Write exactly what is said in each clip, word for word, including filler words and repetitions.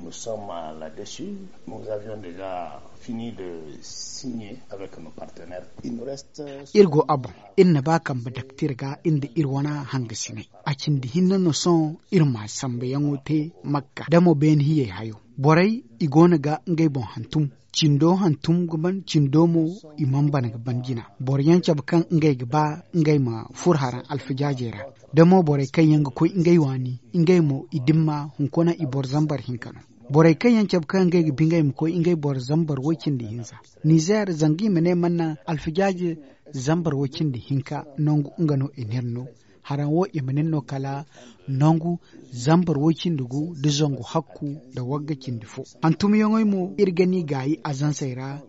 Nous sommes là dessus. Nous avions déjà fini de signer avec nos partenaires. Il nous reste. Iri go a boŋ. Iri na ba kambe daktir ga iri nda iri wane hangasinay. A cindi hinne no sohõ iri ma sambuyaŋo te makka da mo beene hiyey hayo. Borey i go no ga ngey boŋ hantum. Cindo hantum ga ban cindo mo i mana ban ga ban jina. Boro yaŋ cabe kaŋ ngey ga ba ngey ma furo haraŋ alfijaajey ra. Da mo borey kaŋ yaŋ ga koy ngey waani, ngey mo i dimma hunkuna i boro zambar hinka no. Borey kaŋ yaŋ cabe kaŋ ngey ga bi ngey ma koy ngey boro zambar way cindi hinza. Nizer zanga i ma ne mana alfijaaje zambar way cindi hinka nangu nga no i n'iri no. Haraŋ wo i ma nin no kala nangu zambar way cindi gu da zangu hakku da wagga cindi fo. Hantumyaŋey mo iri ga ni gaayi azansey ra.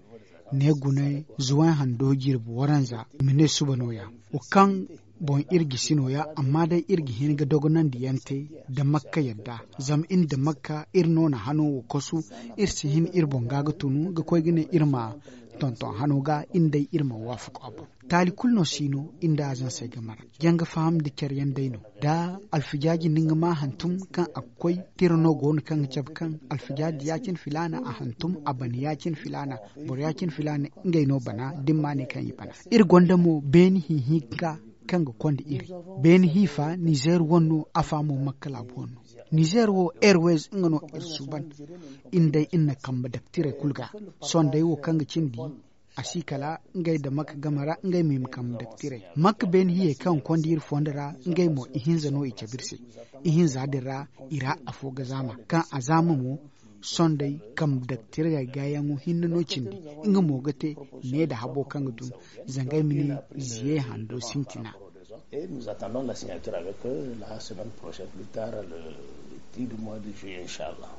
Ne gune zuwan hando jirbi waranza i ma ne suba nooya. Wo kaŋ boŋ iri gisi nooya amma day iri ga hin ga dogonandi yaŋ te da makka yadda. Zama iri nda makka iri no na hano wo kosu. Iri si hin iri boŋ ga ga tunu ga koy ga ne iri ma tonton hano ga iri nda iri ma waafaku a boŋ. Taali kulu no si no iri nda azansey game ra. Janga faham nda care yaŋ day no da alfijaaji nda nga ma hantum kaŋ a ga koy. Tira no go no kaŋ ga cabe kaŋ alfijaaji ya-cine filaana a hantum a bana ya-cine filaana. Boro ya-cine filaana ngey no bana da ni ma ne kaŋ i bana. Iri gonda mo beene hinhinka kaŋ ga konda iri. Beene hiifa nizer wane no afa mo makka laabu wane no. Nizer wo airways nga no iri suuban. Iri day iri na kambe daktirey kulu ga. Sohõ day wo kaŋ ga cindi a si kala ngey nda makka game ra ngey ma i ma kambe daktirey. Makka beene hiyey kaŋ ga konda iri fondo ra ngey mo ihinza no i cabe iri se. Ihinza din ra i ra afo ga zaama kaŋ a zaama mo. Sondey kambe daktirey gaayaŋo hinne no cindi. Nga mo ga te ne nda habo kaŋ ga dun zangey ma ne ziye hando sintina. Et nous attendons la signature avec eux la semaine prochaine plus tard le dix du mois de juillet inchallah.